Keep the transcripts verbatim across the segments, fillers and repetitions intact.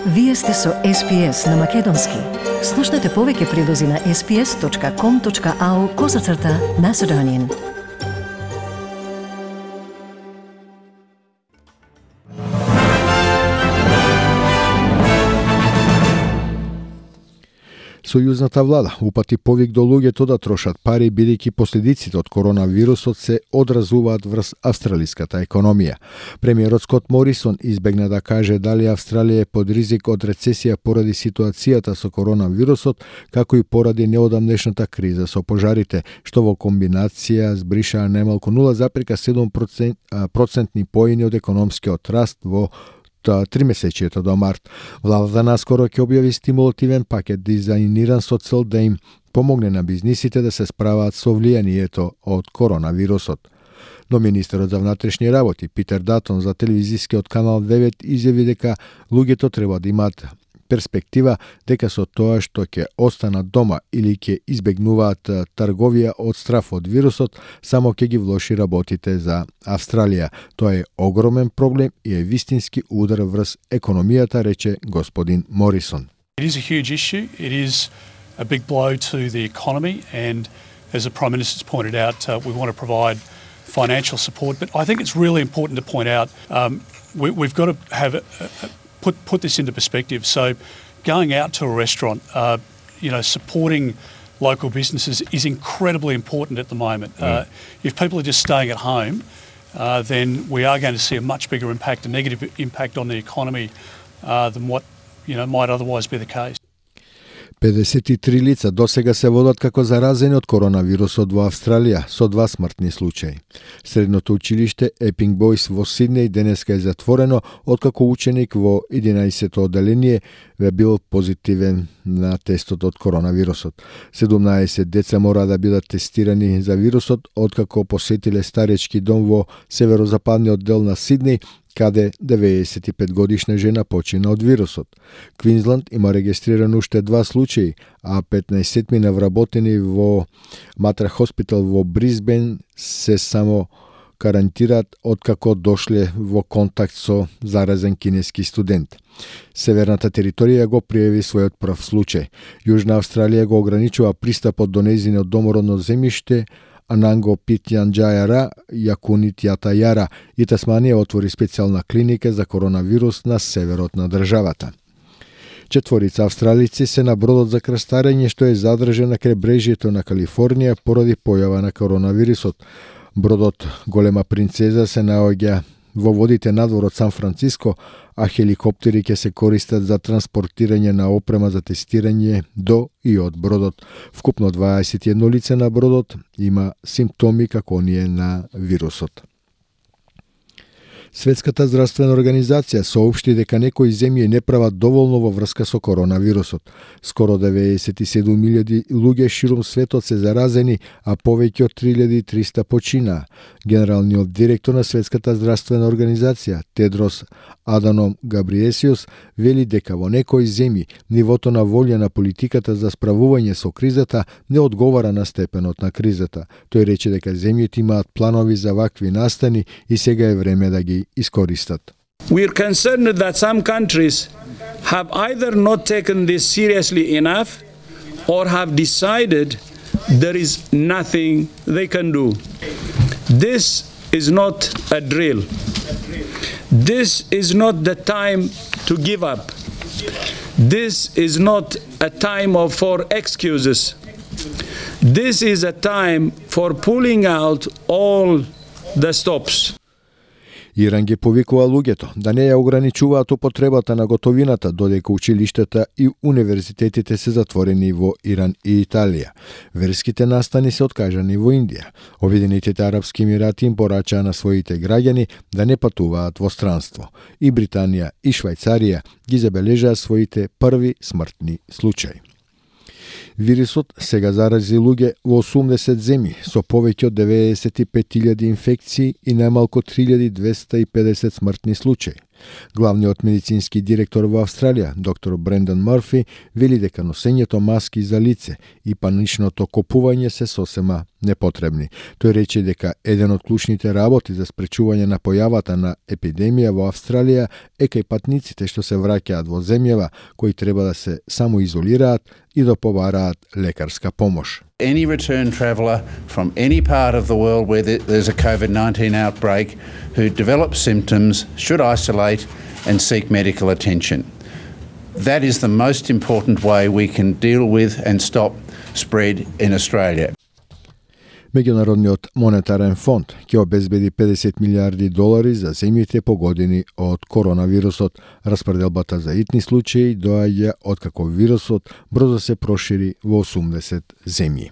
Вие сте со Ес Пи Ес на Македонски. Слушнете повеќе прилози на ес пи ес точка ком точка ау козацрта Macedonian. Сојузната влада упати повик до луѓето да трошат пари, бидејќи последиците од коронавирусот се одразуваат врз австралиската економија. Премиерот Скот Морисон избегна да каже дали Австралија е под ризик од рецесија поради ситуацијата со коронавирусот, како и поради неодамнешната криза со пожарите, што во комбинација збришаа најмалку нула зарез седум процентни поени од економскиот раст во тримесечието до март. Владата наскоро ќе објави стимулативен пакет дизајниран со цел да им помогне на бизнисите да се справаат со влијанието од коронавирусот. Но министерот за внатрешни работи Питер Датон за телевизискиот канал девет изјави дека луѓето треба да имаат перспектива дека со тоа што ќе останат дома или ќе избегнуваат трговија од страф од вирусот, само ќе ги влоши работите за Австралија. Тоа е огромен проблем и е вистински удар врз економијата, рече господин Морисон. It is a huge issue. It is a big blow to the economy, and as the Prime Minister's pointed out, uh, we want to provide financial support. But I think it's really important to point out um, we, we've got to have a, a Put put this into perspective. So, going out to a restaurant, uh, you know, supporting local businesses is incredibly important at the moment. Mm. Uh, if people are just staying at home, uh, then we are going to see a much bigger impact, a negative impact on the economy uh, than what you know might otherwise be the case. педесет и три лица досега се водат како заразени од коронавирусот во Австралија, со два смртни случаи. Средното училиште Епинг Бойс во Сиднеј денеска е затворено, откако ученик во единаесетто одделение ве бил позитивен на тестот од коронавирусот. седумнаесет деца мора да бидат тестирани за вирусот, откако посетиле старечки дом во северозападниот дел на Сиднеј, каде деветдесет и пет годишна жена почина од вирусот. Квинсланд има регистрирано уште два случаи, а петнаесет мина вработени во Матра Хоспитал во Брисбен се само карантираат откако дошле во контакт со заразен кинески студент. Северната територија го пријави својот прв случај. Јужна Австралија го ограничува пристапот до нејзиниот домородно земјиште, Ананго Питјанџајара, Јакунит Јатајара, и Тасманија отвори специјална клиника за коронавирус на северот на државата. Четворица австралици се на бродот за крстарење што е задржен на кребрежјето на Калифорнија поради појава на коронавирусот. Бродот Голема принцеза се наоѓа во водите надвор од Сан Франциско, а хеликоптери ќе се користат за транспортирање на опрема за тестирање до и од бродот. Вкупно дваесет и едно лице на бродот има симптоми како оние на вирусот. Светската здравствена организација соопшти дека некои земји не прават доволно во врска со коронавирусот. Скоро деветдесет и седум илјади луѓе ширум светот се заразени, а повеќе од три илјади и триста починаа. Генералниот директор на Светската здравствена организација, Тедрос Аданом Габриесиус, вели дека во некои земји нивото на волја на политиката за справување со кризата не одговара на степенот на кризата. Тој рече дека земјите имаат планови за вакви настани и сега е време да ги искористат. We are concerned that some countries have either not taken this seriously enough or have decided there is nothing they can do. This is not a drill. This is not the time to give up. This is not a time of, for excuses. This is a time for pulling out all the stops. Иран ги повикува луѓето да не ја ограничуваат употребата на готовината, додека училиштата и универзитетите се затворени во Иран и Италија. Верските настани се откажани во Индија. Обединетите арапски емирати им порачаа на своите граѓани да не патуваат во странство. И Британија и Швајцарија ги забележаа своите први смртни случаи. Вирусот сега зарази луѓе во осумдесет земји со повеќе од деветдесет и пет илјади инфекции и најмалку три илјади двесте и педесет смртни случаи. Главниот медицински директор во Австралија, доктор Брендан Мърфи, вели дека носењето маски за лице и паничното копување се сосема непотребни. Тој рече дека еден од клучните работи за спречување на појавата на епидемија во Австралија е кај патниците што се враќаат во земјава кои треба да се самоизолираат и да побараат лекарска помош. Any return traveller from any part of the world where there's a COVID nineteen outbreak who develops symptoms should isolate and seek medical attention. That is the most important way we can deal with and stop spread in Australia. Меѓународниот монетарен фонд ќе обезбеди педесет милиарди долари за земјите погодени од коронавирусот. Распределбата за итни случаи доаѓа од како вирусот брзо се прошири во осумдесет земји.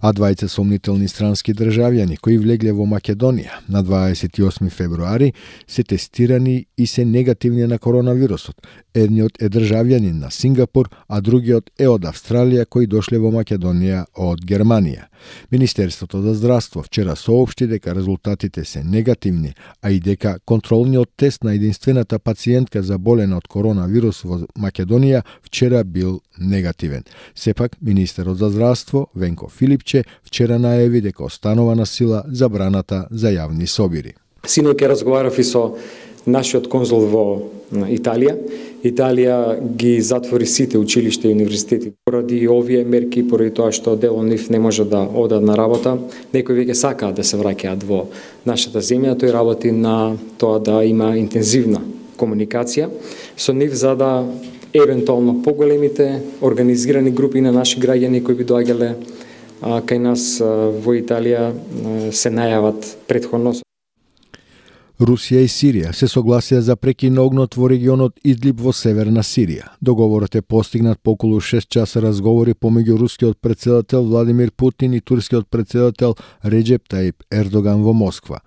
А двајца сомнителни странски државјани кои влегле во Македонија на дваесет и осми февруари се тестирани и се негативни на коронавирусот. Едниот е државјанин на Сингапур, а другиот е од Австралија кои дошле во Македонија од Германија. Министерството за здравство вчера соопшти дека резултатите се негативни, а и дека контролниот тест на единствената пациентка заболена од коронавирус во Македонија вчера бил негативен. Сепак, министерот за здравство Венко Филипче вчера најави дека останува на сила забраната за јавни собири. Синоќа разговарав и со нашиот конзул во Италија. Италија ги затвори сите училишта и универзитети поради овие мерки, поради тоа што дел од нив не може да одат на работа. Некои веќе сакаат да се враќаат во нашата земја. Тој работи на тоа да има интензивна комуникација со нив за да евентуално поголемите организирани групи на наши граѓани кои би доаѓале кај нас во Италија се најават претходно. Русија и Сирија се согласија за прекин на огнот во регионот Идлиб во северна Сирија. Договорот е постигнат по околу шест часа разговори помеѓу рускиот претседател Владимир Путин и турскиот претседател Реджеп Таип Ердоган во Москва.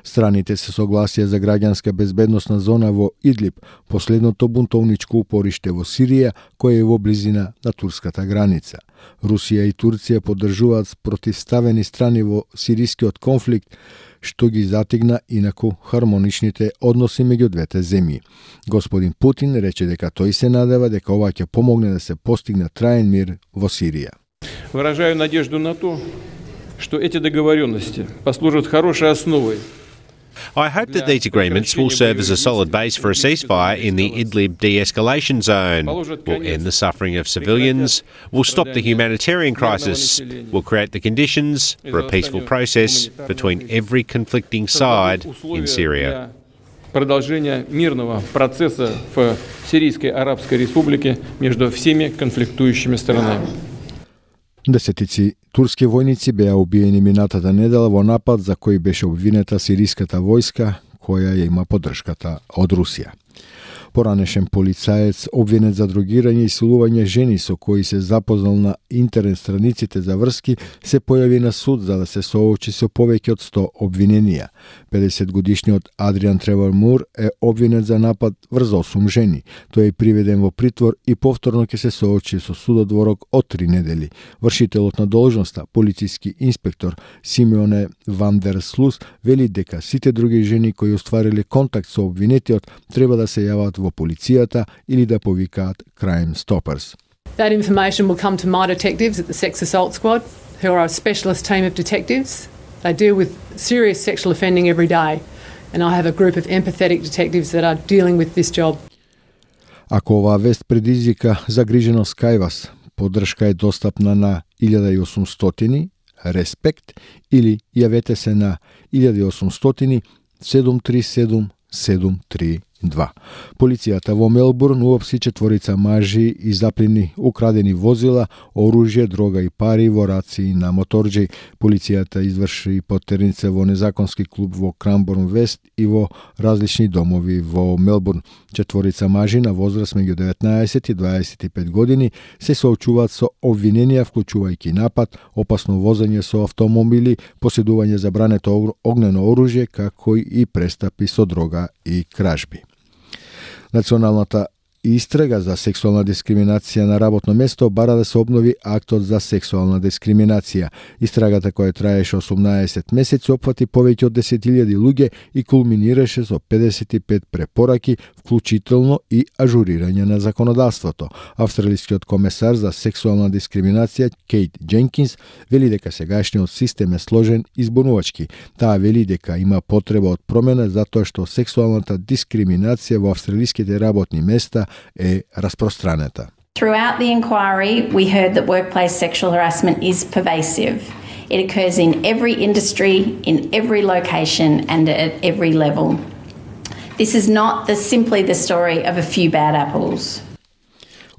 Страните се согласија за граѓанска безбедносна зона во Идлиб, последното бунтовничко упориште во Сирија, кое е во близина на турската граница. Русија и Турција поддржуваат спротивставени страни во сирискиот конфликт, што ги затигна инаку хармоничните односи меѓу двете земји. Господин Путин рече дека тој се надева дека ова ќе помогне да се постигне траен мир во Сирија. Выражаю надежду на то, что эти договоренности послужат хорошей основой. I hope that these agreements will serve as a solid base for a ceasefire in the Idlib de-escalation zone, will end the suffering of civilians, will stop the humanitarian crisis, will create the conditions for a peaceful process between every conflicting side in Syria. Продолжение мирного процесса в Сирийской Арабской Республике между всеми конфликтующими сторонами. Десетици турски војници беа убиени минатата недела во напад за кој беше обвинета сириската војска, која ја има поддршката од Русија. Поранешен полицаец обвинет за дрогирање и силување жени со кои се запознал на интернет страниците за врски се појави на суд за да се соочи со повеќе од сто обвиненија. педесетгодишниот Адриан Тревор Мур е обвинет за напад врз осум жени. Тој е приведен во притвор и повторно ќе се соочи со судот во рок од три недели. Вршителот на должноста, полициски инспектор Симеоне Ван дер Слус, вели дека сите други жени кои оствариле контакт со обвинетиот треба да се јават во полицијата или да повикаат Crime Stoppers. That information will come to my detectives at the Sex Assault Squad, who are a specialist team of detectives. They deal with serious sexual offending every day, and I have a group of empathetic detectives that are dealing with this job. Ако оваа вест предизвика загриженост кај вас, поддршка е достапна на илјада и осумстотини Респект или јавете се на илјада и осумстотини седум три седум седум три два. Полицијата во Мелбурн уопси четворица мажи и заплени украдени возила, оружје, дрога и пари во раци на моторџи. Полицијата изврши потерница во незаконски клуб во Крамборн Вест и во различни домови во Мелбурн. Четворица мажи на возраст меѓу деветнаесет и дваесет и пет години се соочуваат со обвиненија вклучувајќи напад, опасно возење со автомобили, поседување забрането огнено оружје, како и престапи со дрога и кражби. Националната истрага за сексуална дискриминација на работно место бара да се обнови актот за сексуална дискриминација. Истрагата која траеше осумнаесет месеци опфати повеќе од десет илјади луѓе и кулминираше со педесет и пет препораки, вклучително и ажурирање на законодавството. Австралискиот комесар за сексуална дискриминација Кейт Дженкинс вели дека сегашниот систем е сложен и збунувачки. Таа вели дека има потреба од промена затоа што сексуалната дискриминација во австралиските работни места е распространета. Throughout the inquiry, we heard that workplace sexual harassment is pervasive. It occurs in every industry, in every location and at every level. This is not the, simply the story of a few bad apples.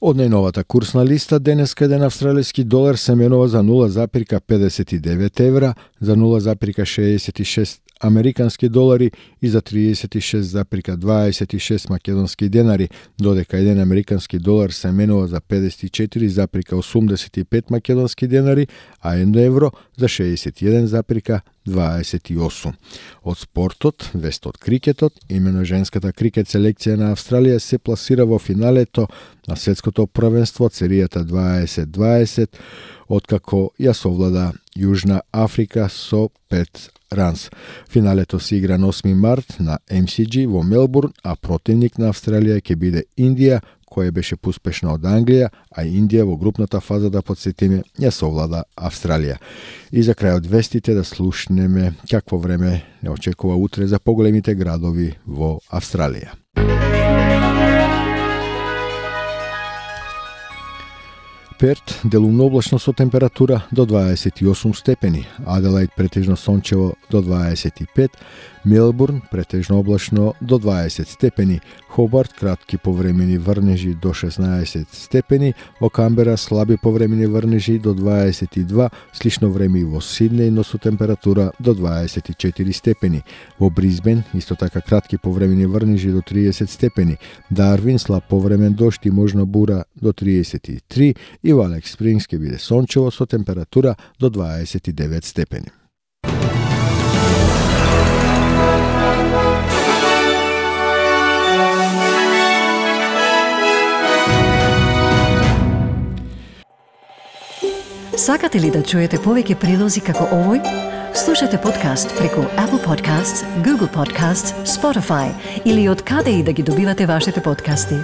Од најновата курсна листа, денеска еден австралиски долар се менува за нула запирка педесет и девет евра, за нула запирка шеесет и шест американски долари и за триесет и шест запирка дваесет и шест македонски денари, додека еден американски долар се менува за педесет и четири запирка осумдесет и пет македонски денари, а едно евро за шеесет и еден запирка дваесет и осум. Од спортот, вест од крикетот, имено женската крикет селекција на Австралија се пласира во финалето на светското првенство од серијата дваесет дваесет, откако ја совлада Јужна Африка со пет ранс. Финалето се игра на осми март на Ем Си Джи во Мелбурн, а противник на Австралија ќе биде Индија, која беше пуспешна од Англија, а Индија во групната фаза, да подсетиме, ја совлада Австралија. И за крај од вестите да слушнеме какво време не очекува утре за поголемите градови во Австралија. Перт делумно облачно со температура до дваесет и осум степени, Аделаид претежно сончево до дваесет и пет, Мелбурн претежно облачно до дваесет степени, Хобарт кратки повремени врнежи до шеснаесет степени, во Камбера слаби повремени врнежи до дваесет и два, слично време и во Сиднеј, но со температура до дваесет и четири степени. Во Бризбен исто така кратки повремени врнежи до триесет степени, Дарвин слаб повремен дожд и можна бура до триесет и три и во Алекс Спрингс ќе биде сончево со температура до дваесет и девет степени. Сакате ли да чуете повеќе прилози како овој? Слушате подкаст преку Apple Podcasts, Google Podcasts, Spotify или од каде и да ги добивате вашите подкасти.